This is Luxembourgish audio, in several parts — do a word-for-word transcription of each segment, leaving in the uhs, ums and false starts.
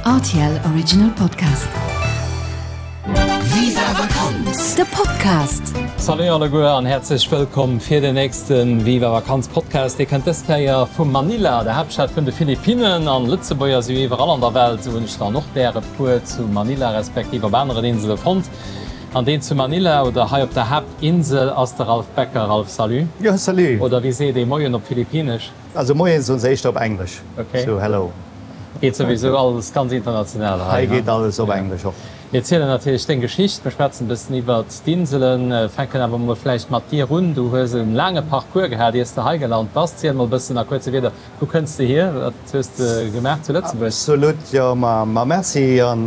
R T L Original Podcast. Viva Vakanz! De Podcast. Salut alleguer an häerzlech wëllkomm fir den nächsten Viva Vakanz Podcast. Dir kënnt dës Kéier vu Manila, der Haaptstad vun de Philippinnen. An Lëtzebuerger si iwwerall an der Welt, sou hunn ech dann och der e puer zu Manila respektiv op aneren Insele fonnt. An deen zu Manila oder hei op der Haaptinsel ass de Ralph Becker. Ralph, salut. Jo, salut. Oder wéi seet ee Moien op Philippinnesch? Also Moien soen se éischter op Englesch. Okay. So hello. Geet souwisou alles ganz international hei. Hei geet alles op Englesch och. Mir erzielen natierlech deng Geschicht, mir schwätzen e bëssen iwwert d'Inselen, fänken awer mol vläicht mat dir un. Du hues e laange Parcours gehat, iers de hei gelant bass. Ziel mol e bëssen a kuerze Wierder, wou kënns de hier, wat hues de gemaach zu Lëtzebuerg? Absolut, jo, ma ma merci an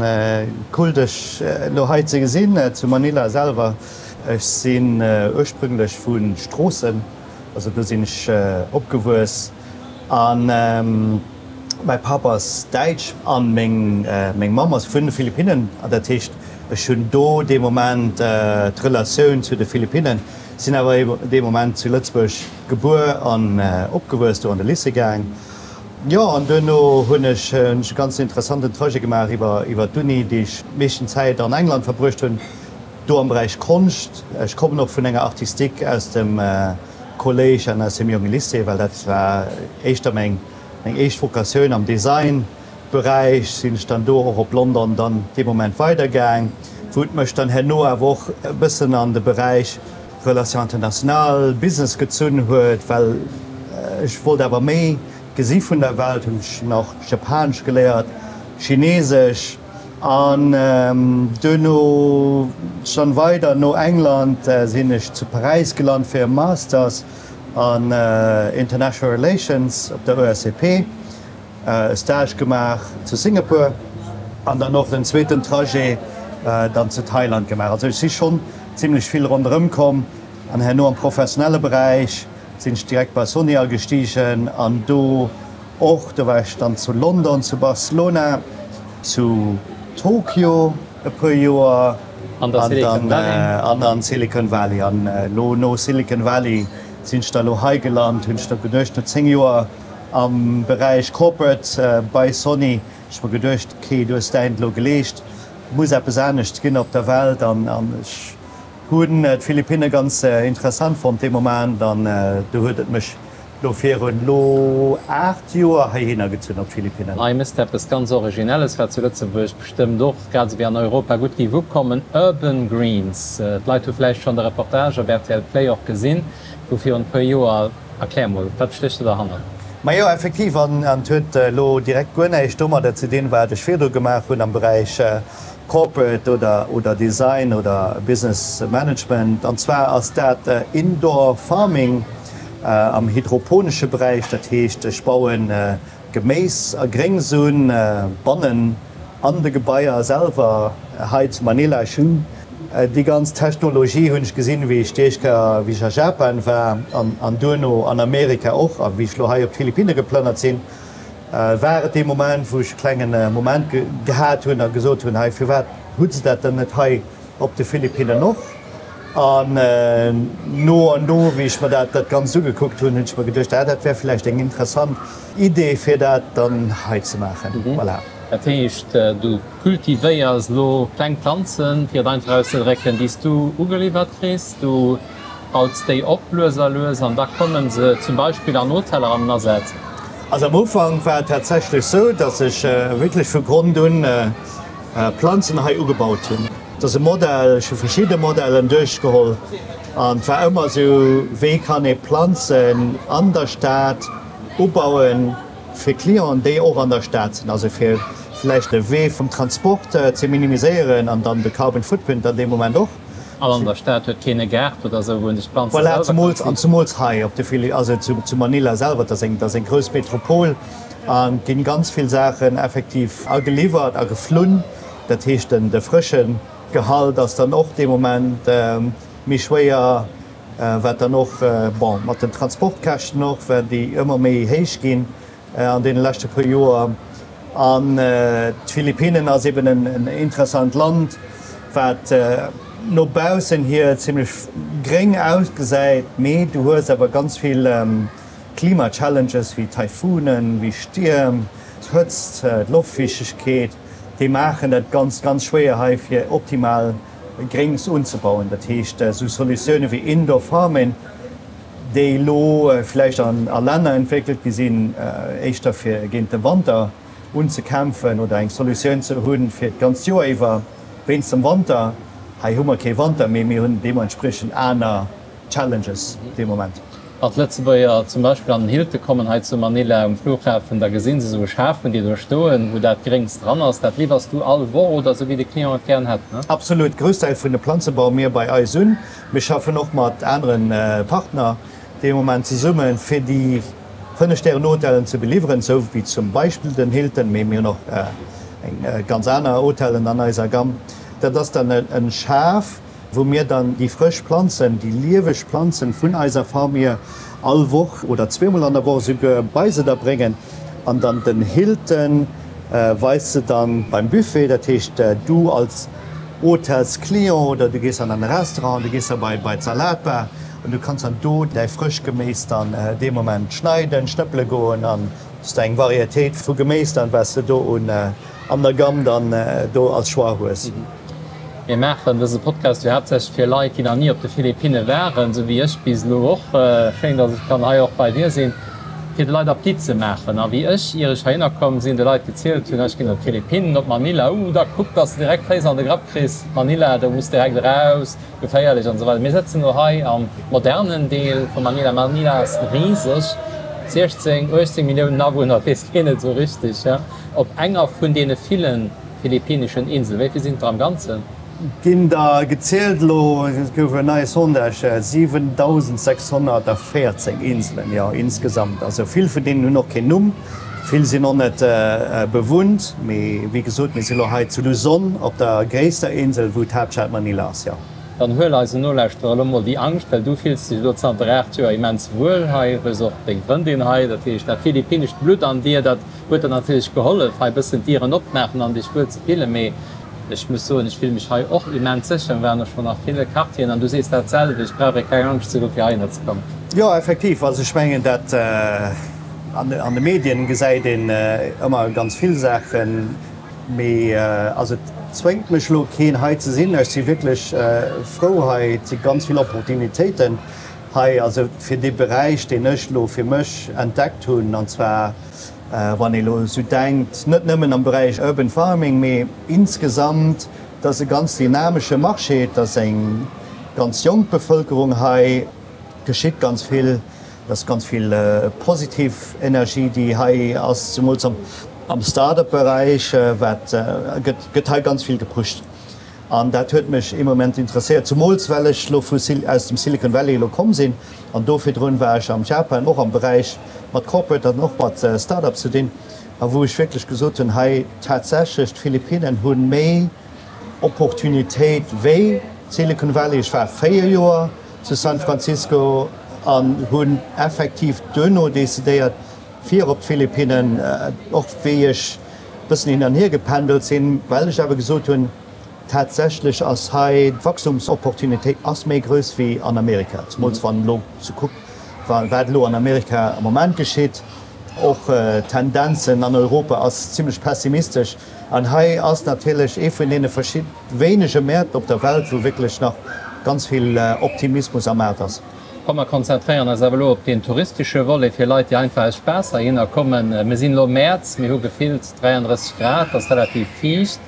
cool dech elo hei ze gesinn zu Manila selwer. Ech sinn ursprünglech vu Stroossen, also do sinn ech opgewuess an mäi Papp ass Däitsch an meng meng Mamm ass vun de Philippinnen. An dat heescht, ech hunn do dee Moment d'Relatioun zu de Philippinnen, sinn awer dee Moment zu Lëtzebuerg gebuer an opgewuess, do an de Lycée gaang. Jo, an duerno hunn ech hunn ech e ganz interessanten Trajet gemaach iwwer iwwer d'Uni, déi ech meeschten Zäit an England verbruecht hunn, do am Beräich Konscht. Ech kommen och vun enger Artistique aus dem Kolléisch an aus dem jonge Lycée, well dat war éischter meng meng éischt Vocatioun am Design Beräich. Sinn ech dann do och op London dann dee Moment weidergaang, wou et mech dann herno awer och e bëssen an de Beräich Relations internationales, Business gezunn huet, well ech wollt awer méi gesi vun der Welt, hunn ech nach Japanesch geléiert, Chinesesch an duerno dann weider no England sinn ech zu Paräis gelant fir e Masters an International Relations op der E S C P, e Stage gemaach zu Singapur an dann och den zweeten Trajet dann zu Thailand gemaach. Also ech si schonn zimlech vill ronderëm komm an herno am professionelle Beräich sinn ech direkt bei Sony agestigen an do och, do war ech dann zu London, zu Barcelona, zu Tokio e puer Joer an der an Silicon dann Valley. An an Silicon Valley. An elo no Silicon Valley sinn ech da elo hei gelant, hunn ech da geduecht, no zéng Joer am Beräich Corporate bei Sony, ech mer geduecht, okay, du hues däint elo geleescht, muss eppes anescht ginn op der Welt an an ech hunn d'Philippinne ganz interessant fonnt dee Moment an do huet et mech elo virun elo aacht Joer heihinner gezunn op d'Philippinnen. Hei mësst eppes ganz Originelles, wat zu Lëtzebuerg bestëmmt och, grad esou wéi an Europa, gutt géif ukommen, Urban Greens. D'Leit hu vläicht schonn de Reportage op R T L Play och gesinn, wou virun e puer Joer. Erklär mol, wat stécht do derhannert? Majo, effektiv, an et huet elo direkt guer näischt domadder ze dinn, wat ech virdru gemaach hunn am Beräich Corporate oder oder Design oder Business Management. An zwar ass dat Indoor Farming am hydroponesche Beräich. Dat heescht, ech bauen Geméis a Gréngs un bannen an de Gebaier selwer hei zu Manila. Ech hunn déi ganz Technologie hunn ech gesinn, wéi ech déi éischt Kéier, wéi ech a Japan war an an duerno an Amerika och, a wéi ech lo hei op d'Philippinne geplënnert sinn, war et dee Moment, wou ech e klengen Moment gehat hunn a gesot hunn, hei, firwat hu se dat dann net hei op de Philippinnen och? An no an no, wéi ech mer dat dat Ganzt ugekuckt hunn, hunn ech mer geduecht, ah, dat wär vläicht eng interessant Idee, fir dat dann hei ze maachen. Voilà. Dat heescht, du kultivéiers elo kleng Planzen, fir et einfach auszedrécken, déi s du ugeliwwert kriss. Du baus déi op lues a lues an da komme se zum Beispill an Hoteller an den Asaz. Also am Ufank war et tatsächlech sou, datt ech wierklech vu Grond un Planzen hei ugebaut hunn. Et ass e Modell, ech hu verschidde Modellen duerchgeholl an et war ëmmer sou, wéi kann ee Planzen an der Stad ubauen fir Clienten, déi och an der Stad sinn, also fir vläicht de Wee vum Transport ze minimiséieren an dann de Carbon Footprint an deem Moment och. An an der Stad huet keen e Gaart oder esou, wou en sech d'Planze Voilà, selwer kann zemools, an ziichten. zemools hei op de Phili-, also zu, zu Manila selwer, dat ass eng, dat ass eng grouss Metropol an et ginn ganz vill Saachen effektiv ageliwwert a geflunn. Dat heescht, den, de frësche Gehalt ass dann och dee Moment méi schwéier, wat dann och, bon, mat den Transportkäschten och, well déi ëmmer méi héich ginn an deene leschte puer Joer. An d'Philippinnen ass eben en interessant Land, wat no baussen hier zimlech gréng ausgesäit, mee du hues awer ganz vill Klima-Challenges wéi Taifunen, wéi Stierm, d'Hëtzt, d'Loftfiichtegkeet. déi maachen dat ganz, ganz schwéier hei fir optimal Gréngs unzebauen. Dat heescht, esou Solutioune wéi Indoor Farming, déi elo vläicht an a Länner entwéckelt gi sinn, éischter fir géint de Wanter unzekämpfen oder eng Solutioun ze hunn fir d'ganzt Joer iwwer wéinst dem Wanter. Hei hu mer kee Wanter, mee mir hunn deementspriechend aner Challenges dee Moment. Wann d'Lëtzebuerger zum Beispill an den Hilton kommen hei zu Manila um Flughafen, da gesinn se esou Schafen, déi do stoen, wou dat Gréngs dran ass. Dat liwwers du all Woch oder esou wéi de Client et gären hätt, ne? Absolut. Groussdeel vun de Planze baue mir bei eis un. Mir schaffen och mat anere Partner dee Moment zesummen, fir déi Fënnef-Stären-Hotellen ze beliwweren, esou wéi zum Beispill den Hilton, mee mir hunn och eng ganz aner Hotellen an eiser Gamme. Dat ass dann e Schaf, wou mir dann déi frësch Planzen, déi lieweg Planzen vun eiser Farm hier all Woch oder zweemol an der Woch esouguer bei se da bréngen an dann den Hilton weist se dann beim Buffet. Dat heescht, du als Hotelsclient oder du gees dann an e Restaurant, du gees da bei bei d'Salatbar an du kanns dann do däi frëscht Geméis dann dee Moment schneiden, schnëppele goen an hues de eng Varietéit vu Geméis dann, wat s de do un an der Gamme dann do als Choix hues. Mir maachen dëse Podcast jo haaptsächlech fir Leit, déi nach ni op de Philippinne waren, esou wéi ech bis elo och. Schéin, dass ech kann hei och bei dir sinn, fir de Leit Appetit ze maachen. A wéi ech, ier ech heihinner komm sinn, de Leit gezielt hunn, ech ginn op d'Philippinnen, op Manila, uh, da kuck, dass de direkt d'Féiss an de Grapp kriss, Manila, do muss direkt eraus, geféierlech an esou weider. Mir sëtzen elo hei am modernen Deel vu Manila. Manila ass riseg, siechzéng, uechtzéng Milliounen Awunner, weess keen et esou richteg, ja, op enger vun deene villen philippinneschen Inselen. Wéi vill sinn et der am Ganzen? Ginn der gezielt elo, et gouf en neie Sondage, siwentausendsechshonnertvéierzéng Inselen, jo, insgesamt. Also vill vun deenen hunn och keen Numm, vill sinn och net bewunnt. Mee wéi gesot, mir si elo hei zu Luzon op der gréisster Insel, wou d'Haaptstad Manila ass, jo. Dann huel eisen Nolauschterer elo mol déi Angscht, well du fills dech elo zanter aacht Joer immens wuel hei, hues och deng Frëndin hei, dat heescht dat philippinnescht Blutt an dir, dat huet der natierlech gehollef hei bëssen d'Dieren opmaachen an dech wuel ze fillen. Mee ech muss soen, ech fille mech hei och immens sécher. Mir waren och schonn a ville Quartieren an du sees dat selwecht, brauch ee keng Angscht ze hu fir heihinner ze kommen. Jo, effektiv. Also ech mengen dat an de Medien gesäit een ëmmer ganz vill Saachen. Mee also et zwéngt mech elo keen hei ze sinn. Ech si wierklech frou hei. Et si ganz vill Opportunitéiten hei, also fir dee Beräich, deen ech elo fir mech entdeckt hunn, an zwar wann ee elo esou denkt, net nëmmen am Beräich Urban Farming, mee insgesamt, et ass e ganz dynamesche Marché, et ass eng ganz jonk Bevëlkerung hei, et geschitt ganz vill. Et ass ganz vill positiv Energie, déi hei ass, zemools am Start-up-Beräich, wat gëtt hei ganz vill gepusht. An dat huet mech ee Moment interesséiert, zemools well ech elo vu aus dem Silicon Valley elo komm sinn. An do virdrun war ech am Japan, och am Beräich mat Corporate an och mat Start-ups ze dinn, a wou ech wierklech gesot hunn, hei tatsächlech d'Philippinnen hu méi Opportunitéit wéi Silicon Valley. Ech war véier Joer zu San Francisco an hunn effektiv duerno decidéiert fir op d'Philippinnen, och wéi ech bëssen hin an hier gependelt sinn, well ech awer gesot hunn, tatsächlech ass hei d'Wachstumsopportunitéit ass méi grouss wéi an Amerika, zemools wann elo se kuckt wat elo an Amerika am Moment geschitt. Och d'Tendenzen an Europa ass zimlech pessimistesch. An hei ass natierlech ee vun deene wéinege Mäert op der Welt, wou wierklech nach ganz vill Optimismus am Maart ass. Komm mer konzentréieren eis awer elo op deen touristesche Volet, fir Leit, déi einfach aus Spaass heihinner kommen. Mir sinn elo Mäerz, mir hu gefillt dräiandrësseg Grad, et ass relativ fiicht.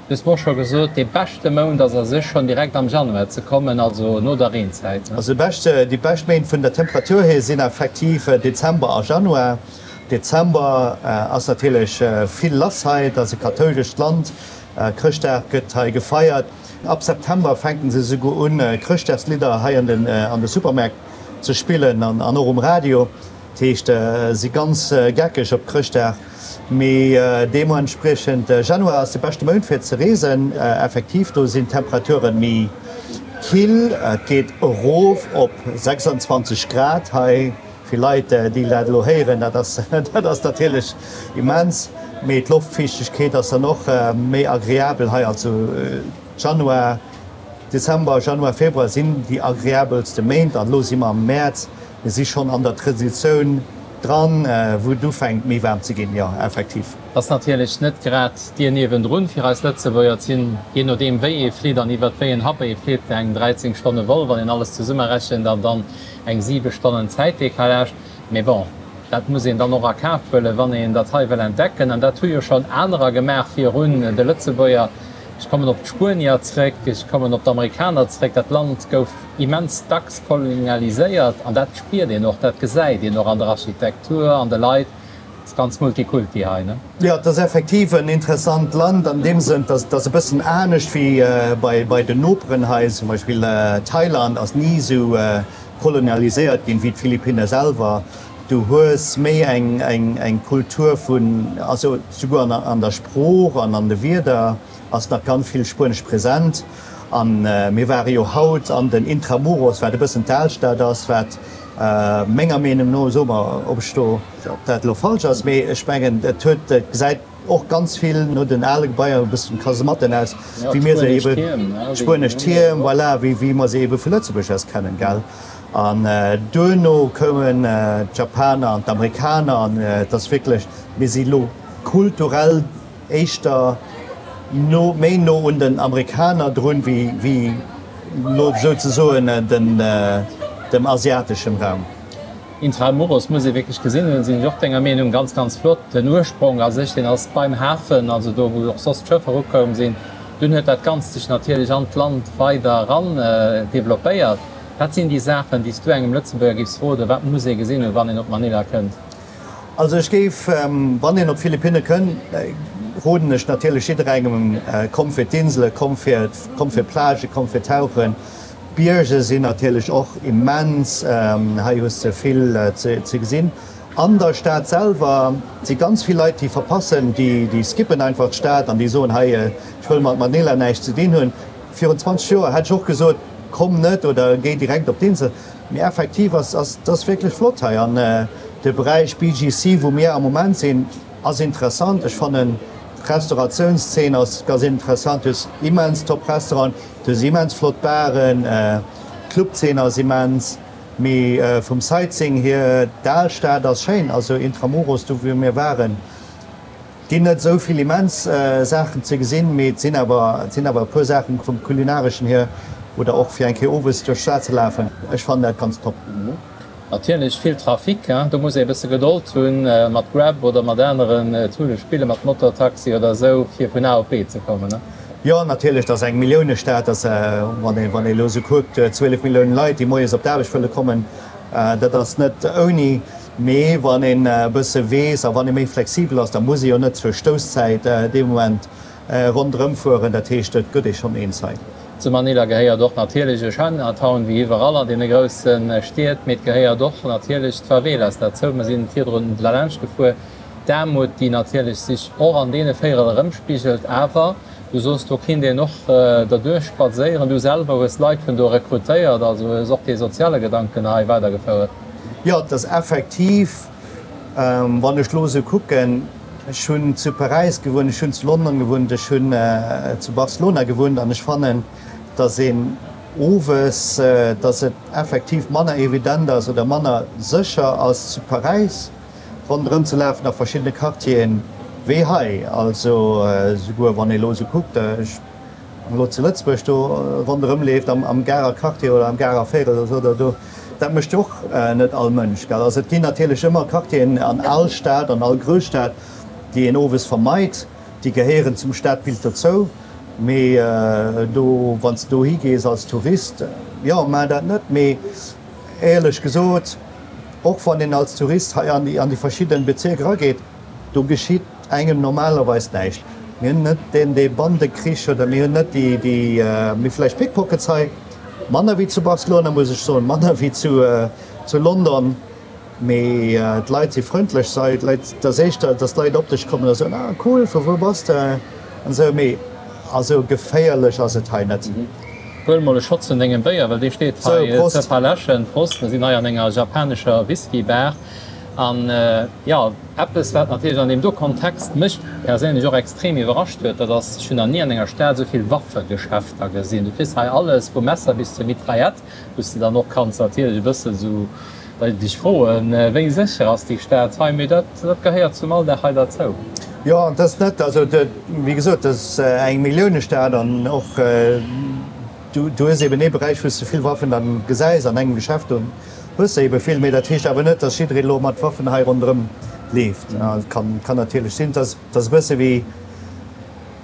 Du hues mer och scho gesot, dee beschte Mount ass a sech schonn direkt am Januar ze kommen, also no der Reenzäit. Also déi bescht Méint vun der Temperatur hier sinn effektiv Dezember a Januar. Dezember ass natierlech vill lass hei, et ass e kathoulescht Land, Chrëschtdag gëtt hei gefeiert. Ab September fänken se esouguer un, Chrëschtdagslidder hei an de Supermärkt ze spillen an och um Radio. Dat heescht, si ganz geckeg op Chrëschtdag. Mee deementspriechend, Januar ass de beschte Mount fir ze reesen. Effektiv, do sinn d'Temperature méi kill. Et geet erof op sechsundzwanzeg Grad hei. Fir Leit, déi dat elo héieren, dat ass dat ass natierlech immens. Mee d'Loftfiichtegkeet ass dann och méi agreabel hei. Also Januar, Dezember, Januar, Februar sinn déi agreabelste Méint. An elo si mer am Mäerz. Mir si schonn an der Transitioun dran, wou et ufänkt méi waarm ze ginn, jo effektiv. Ass natierlech net grad d'Dier niewendrun fir eis Lëtzebuerger. Et sinn, jee nodeem wéi ee flitt an iwwert wéi en Hub ee flitt, eng dräizéng Stonne Vol, wann een alles zesummerechent, an dann eng siwe Stonnen Zäitdecalage. Mee bon, dat muss een dann och a Kaf huelen, wann een dat hei wëll entdecken. An dat hu jo schonn anerer gemaach virun de Lëtzebuerger. Ech kommen op d'Spuenier zréck, ech kommen op d'Amerikaner zréck. Dat Land gouf immens dacks kolonialiséiert an dat spiert een och, dat gesäit een och an der Architektur, an de Leit. Ass ganz Multikulti hei, ne? Jo, et ass effektiv en interessant Land an deem Sënn, dass et ass e bëssen anescht wéi bei bei den Noperen hei. Zum Beispill Thailand ass ni esou kolonialiséiert ginn wéi d'Philippinne selwer. Du hues méi eng eng eng Kultur vun, also souguer an an der Sprooch an an de Wierder ass nach ganz vill Spuenesch present. A mir ware jo haut an den Intramuros, wat e bëssen d'Alstad ass, wat menger Meenung no, so mer, ob ech do, ob dat elo falsch ass, mee ech mengen, et huet, et gesäit och ganz vill no den ale Gebaier, e bëssen Kasematten aus, wéi mir se ebe, spuenesch Tierm, voilà, wéi, wéi mer se ebe vu Lëtzebuerg aus kennen, gell. An duerno koumen d'Japaner an d'Amerikaner an et ass wierklech, mir si lo kulturell éischter no, méi no un den Amerikaner drun, wéi, wéi lo souzesoen den, dem asiateschem Raum. Intramuros muss ee wierklech gesinn hunn, sinn ech och denger Meenung. Ganz, ganz flott. Den Ursprong a sech, deen ass beim Hafen, also do wou och soss d'Schëffer ukoum sinn. Dunn huet dat Ganzt sech natierlech an d'Land weider eran developpéiert. Wat sinn déi Saachen, déi s du engem Lëtzebuerger giffs roden, wat muss ee gesinn hunn, wann een op Manila kënnt? Also ech géif, wann een op d'Philippinne kënn, roden ech natierlech jidderengem, komm fir d'Insele, komm fir, komm fir d'Plage, komm fir tauchen. D'Bierger sinn natierlech och immens, hei hues de vill ze gesinn. An der Stad selwer si ganz vill Leit, déi verpassen, déi, déi skippen einfach d'Stad an déi soen, hei, ech wëll mat Manila näischt ze dinn hunn. Virun zwanzeg Joer hätt ech och gesot, komm net oder géi direkt op d'Insel. Mee effektiv ass, ass, ass wierklech flott hei an de Beräich B G C, wou mir am Moment sinn, ass interessant. Ech fannen d'Restauratiounszeen ass ganz interessant. Du hues immens top Restauranten, du hues immens flott Baren, d'Clubzeen ass immens. Mee vum Sightseeing hier, d'Alstad ass schéin, also Intramuros, do wou mir waren, ginn net esou vill immens Saachen ze gesinn, mee et sinn awer, et sinn awer e puer Saachen vum kulinareschen hier oder och fir eng Kéier owes duerch d'Stad ze lafen. Ech fannen dat ganz top. Natierlech vill Trafic, hein, do muss ee e bësse Gedold hunn mat Grab oder mat aneren Toolen, spille mat Motortaxi oder esou, fir vun A op B ze kommen, hein. Jo, natierlech, dat ass eng Milliounestad, dat wann ee, wann ee elo esou kuckt, zwielef Milliounen Leit, déi moies op d'Aarbecht wëlle kommen, dat ass net ouni. Mee wann een e bësse weess a wann ee méi flexibel ass, da muss ee jo net zur Stousszäit dee Moment ronderëm fueren. Dat heescht, et gëtt ee schonn eens hei. Zu Manila gehéiert och natierlech e Chinatown, wéi iwwerall an deene grousse Stied, mee et gehéiert och natierlech d'Favelas derzou. Mer sinn virdrun lalaanscht gefuer. D'Aarmut, déi natierlech sech och an deene Véierel erëmspigelt. Awer du soos, do kinnt een och derduerch spadséieren. Du selwer hues Leit vun do rekrutéiert, also hues och dee soziale Gedanken hei weidergefouert. Jo, et ass effektiv, wann ech elo esou kucken, ech hunn zu Paräis gewunnt, ech hunn zu London gewunnt, ech hunn zu Barcelona gewunnt an ech fannen, datt een owes, datt et effektiv manner evident ass oder manner sécher ass zu Paräis ronderëm ze lafen a verschiddene Quartieren wéi hei. Also souguer wann ee elo esou kuckt, ech elo zu Lëtzebuerg do ronderëm leeft am am Garer Quartier oder am Garer Véierel oder esou oder do, dat mécht jo och net all Mënsch, gell. Also et ginn natierlech ëmmer Quartieren an all Stad, an all Grousstad, déi een owes vermeit, déi gehéieren zum Stadbild dozou, mee do, wann s de dohi gees als Tourist, jo, maach dat net. Mee éierlech gesot, och wann een als Tourist hei an déi an déi verschidden Bezierker erageet, do geschitt engem normalerweis näischt. Mir hunn net deen dee Bandekrich oder mir hunn net déi déi, mir vläicht Pickpockets hei, manner wéi zu Barcelona muss ech soen, manner wéi zu zu London, mee d'Leit si frëndlech hei, d'Leit, et ass éischter, datt d'Leit op dech kommen a soen, ah cool, vu wou bass de an esou, mee also geféierlech ass et hei net. Huel mol e Schotz vun dengem Béier, well dee steet hei ze verläschen. Prost, mir sinn hei an enger japanescher Whisky-Bar. An jo, eppes wat natierlech an deem do Kontext mech perséinlech och extrem iwwerrascht huet, dat ass, ech hunn nach ni an enger Stad esou vill Waffegeschäfter gesinn. Du kriss hei alles, vum Messer bis zur Mitraillette, wou s de dann och kanns natierlech e bësse sou Dech froen, wéi sécher ass déi Stad hei? Mee dat, dat gehéiert zum Alldag hei derzou. Jo, dat ass net, also wéi gesot, dat ass eng Milliounestad an och du, du hues eben ee Beräich, wou s de vill Waffen dann gesäis, an engem Geschäft, do hues de ebe vill. Mee dat heescht awer net, dass jidderee elo mat Waffen hei ronderëm leeft. Et kann, kann natierlech sinn, dass, dass e bësse wéi,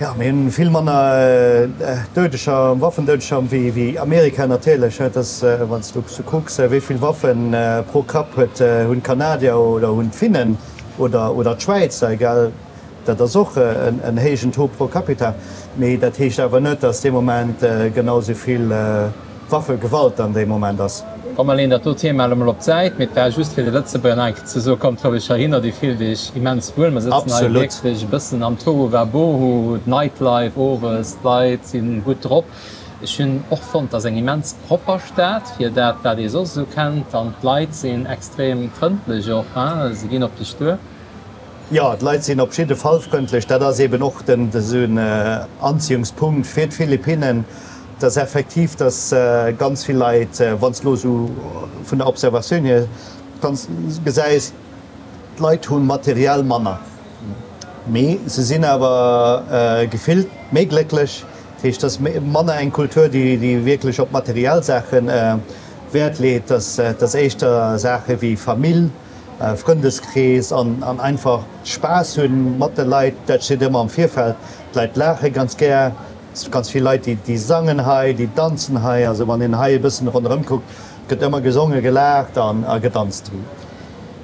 Jo, mir hunn vill manner Doudeger, Waffendoudeger wéi Amerika natierlech. Et ass, wann s du sou kucks, wéi vill Waffe pro Kapp huet, hunn d'Kanadier oder hunn d'Finnen oder oder d'Schwäizer, egal, dat ass och en héijen Taux pro capita. Mee dat heescht awer net, datt dee Moment genau sou vill Waffegewalt an deem Moment ass. Komm mer leeën dat do Thema elo mol op d'Säit, mee et war just fir de Lëtzebuerger nach eng Kéier ze soen, kommt roueg heihinner, Dir fillt Iech immens wuel. Mer sëtzen hei wierklech e bëssen am Tohuwabohu, d'Nightlife owes, d'Leit si gutt drop. Ech hunn och fonnt, et ass eng immens propper Stad fir dat wat ee soss esou kennt an d'Leit sinn extrem frëndlech och, hein, se ginn op dech duer. Jo, d'Leit sinn op jidde Fall frëndlech. Dat ass eben och den esou en Anziehungspunkt fir d'Philippinnen, dass effektiv, dass ganz vill Leit, wann s de elo esou vun der Observatioun hier kanns gesäis, d'Leit hu materiell manner, mee se sinn awer gefillt méi glécklech. Dat heescht, et ass manner eng Kultur, déi wierklech op materiell Saache Wäert leet, dass dass éischter Saache wéi Famill, Frëndeskrees an einfach Spaass hunn mat de Leit, dat steet ëmmer am Virfeld. D'Leit laache ganz gär, et si ganz vill Leit, déi sangen hei, déi danzen hei. Also wann een hei e bëssen ronderëm kuckt, gëtt ëmmer gesongen, gelaacht a gedanzt.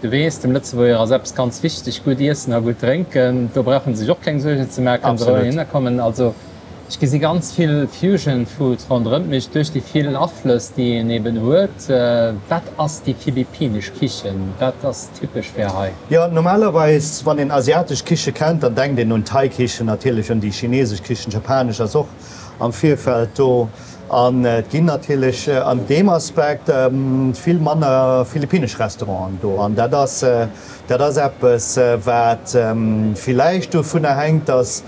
Du weess, dem Lëtzebuerger ass eppes ganz wichteg, gutt iessen a gutt drénken. Do brauche se sech och keng Suergen ze maachen, kënne se roueg heihinner kommen. Also Ech gesi ganz vill Fusion Food ronderëmt mech, duerch déi vill Aflëss, déi een eben huet. Wat ass déi philippinesch Kichen? Wat ass typesch fir hei? Jo, normalerweis, wann een asiatesch Kiche kennt, dann denkt een un Thai-Kichen, natierlech un déi chinesesch Kichen, japanesch ass och am Virfeld do. An et ginn natierlech an deem Aspekt vill manner philippinesch Restauranten do. An dat ass, dat ass eppes, wat villäicht dovunner hänkt, dass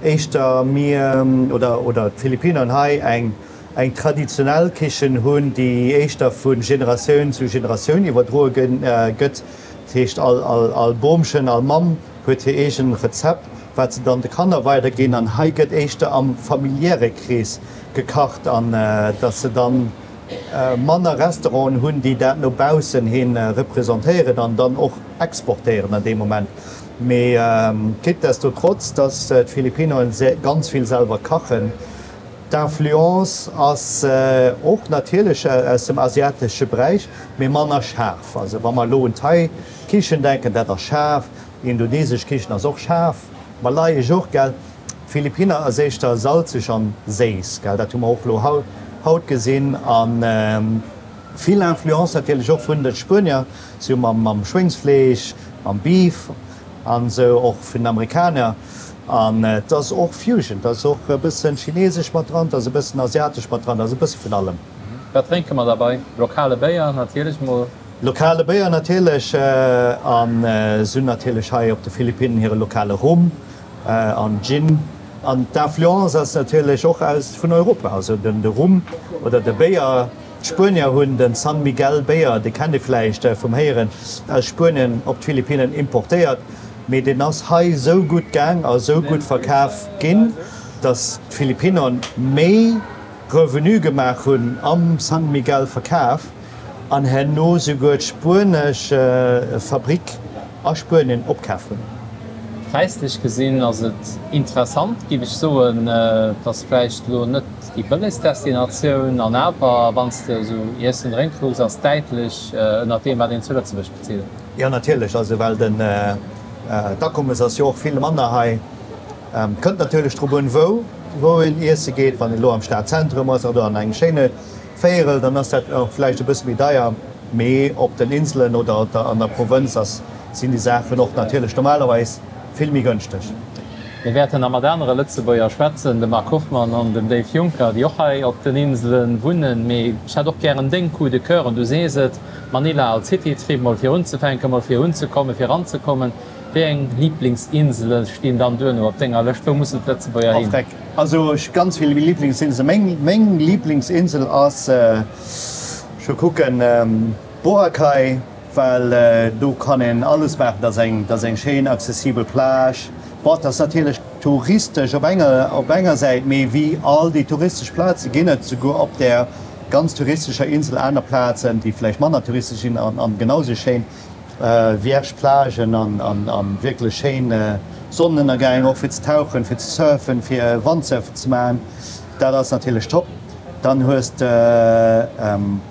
éischter mir oder oder d'Philippinern hei eng eng traditionell Kichen hunn, déi éischter vu Generatioun zu Generatioun iwwerdroe gëtt. Dat heescht all all all Bomchen, all Mamm huet hir eegen Rezept, wat se dann de Kanner weiderginn. An hei gëtt éischter am familiäre Krees gekacht an dass se dann manner Restauranten hunn, déi dat no baussen hi representéieren an dann och exportéieren an deem Moment. Mee quittdestotrotz, dass d'Philippinoen ganz vill selwer kachen, d'Influence ass och natierlech aus dem asiatesche Beräich, mee manner schaarf. Also wa mer elo un Thai-Kichen denken, dat ass schaarf, indonesesch Kichen ass och schaarf, malayesch och, gell. D'Philippiner ass éischter salzeg an séiss, gell, dat hu mer och elo haut gesinn. A vill Influence natierlech och vun de Spuenier, sou mam Schwéngsfleesch, mam Beef. An esou och vun den Amerikaner. An et ass och Fusion, et ass och e bëssen chinesesch mat dran, et ass e bëssen asiatesch mat dran, et ass e bësse vun allem. Wat drénke mer derbei? Lokale Béier natierlech mol. Lokale Béier natierlech. An se hunn natierlech hei op de Philippinnen hire lokale Rum an Gin. An d'Influence ass natierlech och aus vun Europa, also den de Rum oder de Béier. D'Spuenier hunn den San Miguel Béier, dee kennt ee vläicht vum Héieren, aus Spuenien op d'Philippinnen importéiert, mee deen ass hei sou gutt gaang a sou gutt verkaf ginn, datt d'Philippinner méi Revenu gemaach hunn am San Miguel Verkaf an herno souguer d'spuenesch Fabrick a Spuenien opkaf hunn. Präislech gesinn ass et interessant, géif ech soen. Et ass vläicht elo net déi bëllegst Destinatioun, an awer, wann s de esou Iessen, Drénke kucks, ass et däitlech ënnert deem, wat een zu Lëtzebuerg bezilt. Jo, natierlech, also well den d'Akommes ass jo och vill manner hei. Kënnt natierlech drop un, wou wou een iesse geet. Wann een elo am Stadzentrum ass oder an engem schéine Véierel, dann ass dat och vläicht e bësse méi deier. Mee op den Inselen oder an der Provënz ass, sinn déi Saachen och natierlech normalerweis vill méi gënschteg. Mir wäerten nach mat anere Lëtzebuerger schwätzen, dem Marc Hoffmann an dem Dave Juncker, déi och hei op den Insele wunnen. Mee ech hätt och gären deng Coup de coeur, du sees et, Manila als City-Trip, mol fir unzefänken, mol fir unzekommen, fir eranzekommen. Wéi eng Liblingsinsele stinn dann duerno op denger Lëscht? Wou mussen d'Lëtzebuerger hin? Freck, also ech hu ganz vill Liblingsinselen. Meng, meng Liblingsinsel ass, ech wëll kucken, Boracay, well do kann een alles maachen, dat ass eng, dat ass eng schéin accessibel Plage. Bon, dat ass natierlech touristesch op enger, op enger Säit, mee wéi all déi touristesch Plaze ginn et souguer op där ganz touristescher Insel aner Plazen, déi vläicht manner touristesch sinn an, an genau sou schéin vierge Plagen an, an, an wierklech schéin Sonnenënnergäng, och fir ze tauchen, fir ze surfen, fir Wandsurfen ze maachen. Dat ass natierlech top. Dann hues de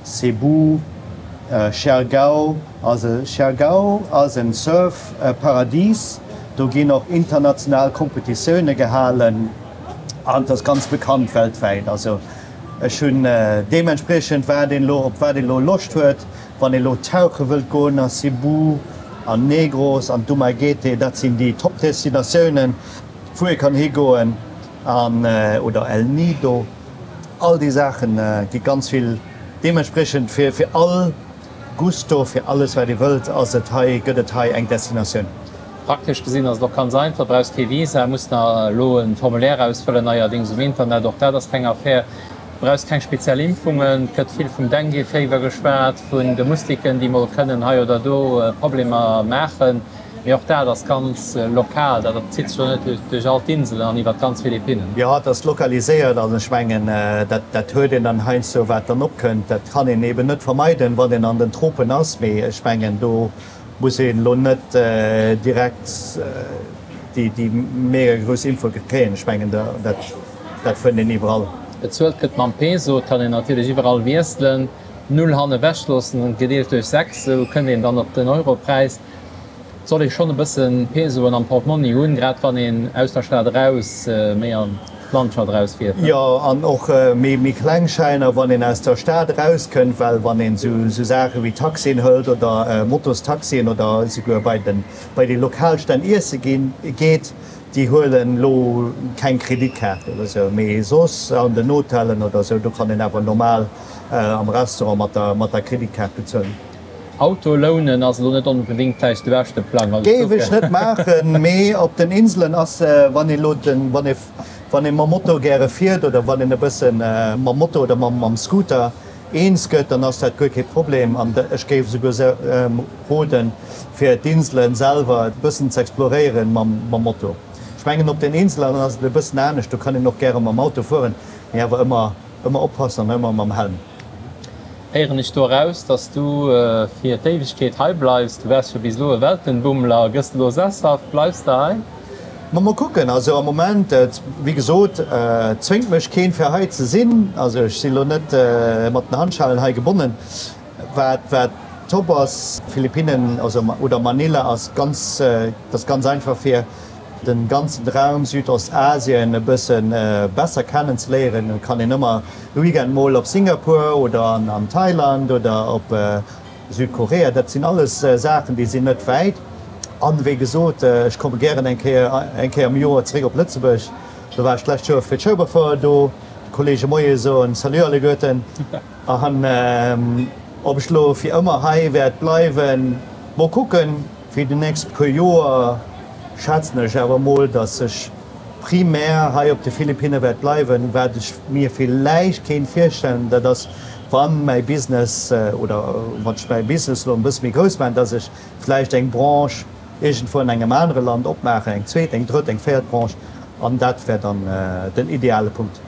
Cebu, Siargao. Also Siargao ass en Surf Paradies. Do ginn och international Kompetitioune gehalen an et ass ganz bekannt weltwäit. Also ech hunn deementspriechend wat een elo, op wat een elo Loscht huet, wann een elo tauche wëllt goen a Cebu, an Negros, an Dumaguete, dat sinn déi Top Destinatiounen wou ee kann higoen an oder El Nido. All déi Saache gi ganz vill deementspriechend fir fir all Gusto, fir alles wat ee wëllt ass et hei, gëtt et hei eng Destinatioun. Praktesch gesinn ass et och ganz einfach, brauchs kee Visa, muss nach elo e Formulaire ausfëllen neierdéngs um Internet, och dat ass keng Affär. Du brauchs keng speziell Impfungen, et gëtt vill vum Dengue-Féiwer geschwat, vun de Mustiken déi mol kënnen hei oder do Problemer maachen. Mee och dat ass ganz lokal, dat zitt sech jo net duerch all d'Inselen an iwwer d'ganz Philippinnen. Jo, et ass lokaliséiert. Also ech mengen, dat dat huet een dann heiansdo, wat dann opkënnt. Dat kann een eben net vermeiden, wann een an den Tropen ass. Mee ech mengen, do muss een elo net direkt déi déi mega grouss Impfung kréien. Ech mengen, dat dat fënnt een iwwerall. Bezuelt gëtt mam Peso. Et kann een natierlech iwwerall wiesselen, Null hanne wech loossen, gedeelt duerch sechs, esou kënnt een dann op den Europräis. Et soll ee schonn e bësse Pesoen am Portmonni hunn, grad wann een aus der Stad eraus, méi an d'Landschaft erausfiert. Jo, an och méi kleng Schäiner, wann een aus der Stad erauskënnt, well wann een esou Saache wéi Taxien hëlt oder Motostaxien oder esouguer bei den, bei déi lokal Stänn iesse ginn, geet, déi huelen elo keng Kreditkaart oder esou, mee soss an den Hotellen oder esou, do kann een awer normal am Restaurant mat der, mat der Kreditkaart bezuelen. Auto lounen ass elo net onbedéngt vläicht de beschte Plang. Also Géif ech net maachen, mee op den Inselen ass, wann ee lo den, wann ee, wann ee mam Moto gäre fiert oder wann een e bësse mam Moto oder mam, mam Scooter eens gëtt, dann ass dat guer kee Problem. An ech géif esouguer roden, fir d'Inselen selwer e bëssen ze exploréieren mam, mam Moto. Ech mengen op den Inselen ass et e bëssen anescht, do kann een och gäre mam Auto fueren, mee awer ëmmer, ëmmer oppassen an ëmmer mam Helm. Héieren ech do eraus, dass du fir d'Éiwegkeet hei bleifs? Du waars jo bis elo e Weltenbummler, gëss de elo sesshaft? Bleifs de hei? Ma mol kucken. Also am Moment, wéi gesot, zwéngt mech keen fir hei ze sinn. Also ech sinn elo net mat den Handschellen hei gebonnen. Wat wat top ass, Philippinnen, also oder Manila ass ganz, et ass ganz einfach fir den ganzen Raum Südostasien e bëssen besser kennen ze léieren. Et kann een ëmmer e Weekend mol op Singapur oder an Thailand oder op Südkorea. Dat sinn alles Saachen, déi sinn net wäit. An wéi gesot, ech komme gären eng Kéier eng Kéier am Joer zeréck op Lëtzebuerg. Do war ech d'lescht Joer fir d'Schueberfouer do. De Kollege Moie soen, Salut alleguerten. An ob ech lo fir ëmmer hei wäert bleiwen, mol kucken. Fir déi nächst puer Joer schätzen ech awer mol, dass ech primär hei op de Philippinne wäert bleiwen. Wat ech mir villäicht kéint virstellen, dat ass, wann mäi Business oder wann ech mäi Business elo e bësse méi grouss maachen, dass ech vläicht eng Branche iergendwou an engem anere Land opmaachen, eng zweet, eng drëtt, eng véiert Branche, an dat wär dann den ideale Punkt.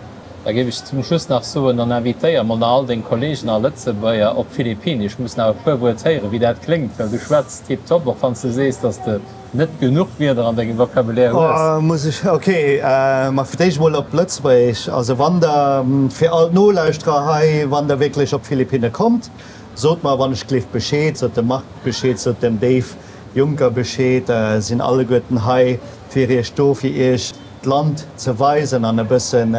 Da géif ech zum Schluss nach soen, dann invitéier mol nach all deng Kollegen a Lëtzebuerger op d'Philippinen. Ech muss nach e puer Wuert héieren, wéi dat kléngt, well du schwätz tiptop, och wann s de sees, dass de net genuch Wierder an dengem Vocabulaire hues. Muss ech, ok, ma fir d'éischt emol op Lëtzebuergesch. Also wann der, fir all d'Nolauschterer hei, wann der wierklech op d'Philippinne kommt, sot mer wann ech gleeft Bescheed, sot dem Marc Bescheed, sot dem Dave Juncker Bescheed, sinn alleguerten hei fir iech do, fir iech d'Land ze weisen an e bëssen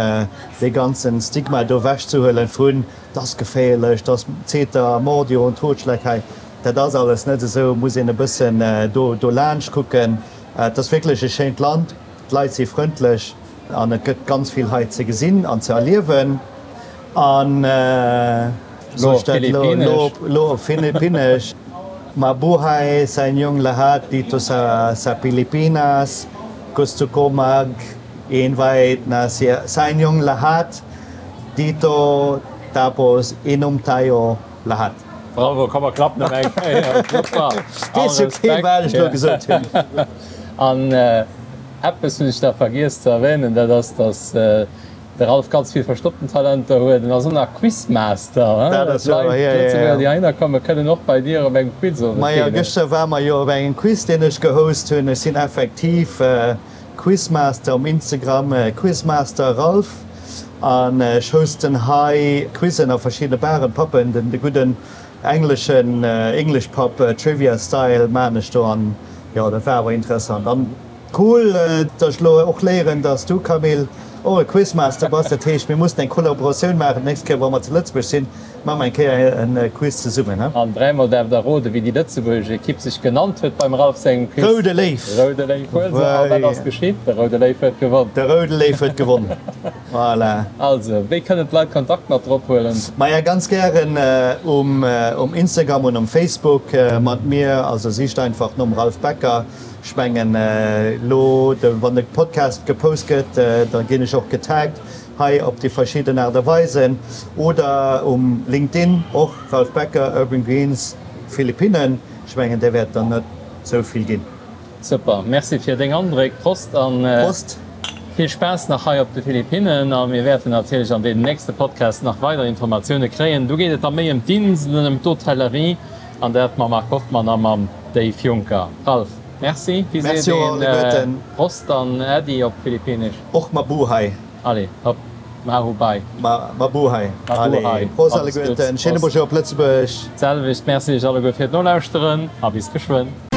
dee ganzen Stigma do ewech ze huelen vun, 't ass geféierlech, 't ass Zeter, Mordio und Totschlag hei. Dat ass alles net esou, muss een e bëssen do dolaanscht kucken. Et ass wierklech e schéint Land, d'Leit si frëndlech an et gëtt ganz vill hei ze gesinn an ze erliewen. An Lo op Philippinnesch. Lo op Philippinnesch, Mabuhay sa inyong lahat dito sa sa Pilipinas. Gusto ko mag invite na siya sa inyong lahat dito tapos inom tayo lahat. Bravo, komm mer klappen nach eng Kéier. Super. Weess jo kee wat ech elo gesot hunn. An eppes hunn ech nach vergiess ze erwähnen, dat ass, dass de Ralph ganz vill verstoppten Talenter huet. En ass och nach Quizmaster. Dat ass wouer, D'Leit, jo, jo, jo. Lëtzebuerger, déi heihinner kommen, kënnen och bei dir op engem Quiz owes Majo, deelhuelen. gëschter ware mer jo op engem Quiz, deen ech gehost hunn. Ech sinn effektiv Quizmaster um Instagram, Quizmaster Ralph. An ech hosten hei Quizzen a verschiddene Baren, Pubben, den de gudden engleschen English Pub Trivia Style maan ech do an jo dat war awer interessant an cool dass ech lo och léieren dass du Camille och e Quizmaster bass. Dat heescht mir mussen eng Kollaboratioun maachen d'nächst Kéier wa mer zu Lëtzebuerg sinn. Maache mer eng Kéier e Quiz zesummen, he? An dräimol däerft der roden, wéi déi lëtzebuergesch Ekipp sech genannt huet beim Ralph sengem Quiz. Roude Léif! Roude Léif huel se! A wat ass geschitt? De Roude Léif huet gewonn! De Roude Léif huet gewonn, voilà! Also, wéi kënnen d'Leit Kontakt mat der ophuelen? Maja, ganz gären um um Instagram und um Facebook mat mir. Also sicht einfach nom Ralph Becker. Ech mengen elo, wann de Podcast gepost gëtt, da ginn ech och getaggt. Hei op déi verschidden Aart a Weisen oder um LinkedIn och, Ralph Becker, Urban Greens Philippinen. Ech mengen där wäert der net sou vill ginn. Super, Merci fir deng Andréck. Prost an Prost. Vill Spaass nach hei op de Philippinen. A mir wäerten natierlech an deenen nächste Podcasts nach weider Informatioune kréien. Do geet et da méi ëm d'Inselen, ëm d'Hotellerie an dat mam Marc Hoffmann a mam Dave Juncker. Ralph, Merci. Wéi seet Merci och een alleguerten. Prost an Äddi op Philippinesch? Och Mabuhay. Allez, hopp, Mahubai. Ma, Mabuhay. Mabuhay. Allez, Prost Alles Gudds, alleguerten. Schéine Prost. Bonjour op Lëtzebuerg. D'selwecht. Merci iech alleguer fir d'Nolauschteren a bis geschwënn.